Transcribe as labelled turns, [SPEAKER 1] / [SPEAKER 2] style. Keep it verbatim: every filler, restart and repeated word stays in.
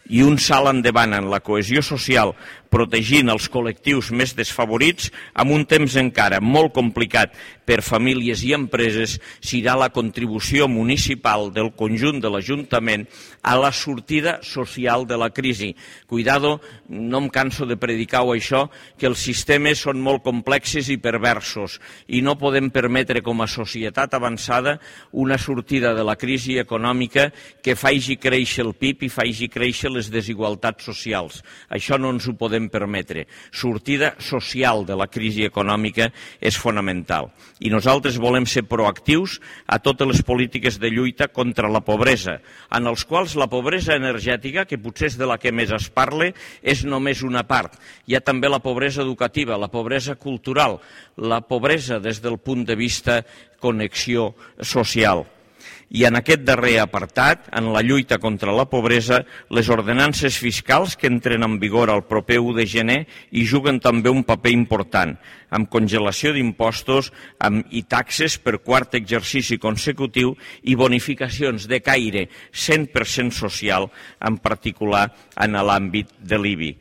[SPEAKER 1] i un salt endavant en la cohesió social, protegint els col·lectius més desfavorits, en un temps encara molt complicat per famílies i empreses, serà la contribució municipal del conjunt de l'Ajuntament a la sortida social de la crisi. Cuidado, no em canso de predicar-ho això, que els sistemes són molt complexos i perversos i no podem permetre com a societat avançada una sortida de la crisi econòmica que faci créixer el P I B i faci créixer les desigualtats socials. Això no ens ho podem permetre. Sortida social de la crisi econòmica és fonamental. I nosaltres volem ser proactius a totes les polítiques de lluita contra la pobresa, en els quals la pobresa energètica, que potser és de la que més es parla, és només una part. Hi ha també la pobresa educativa, la pobresa cultural, la pobresa des del punt de vista connexió social. I en aquest darrer apartat, en la lluita contra la pobresa, les ordenances fiscals que entren en vigor el proper u de gener hi juguen també un paper important, amb congelació d'impostos i taxes per quart exercici consecutiu i bonificacions de caire cent per cent social, en particular en l'àmbit de l'I B I.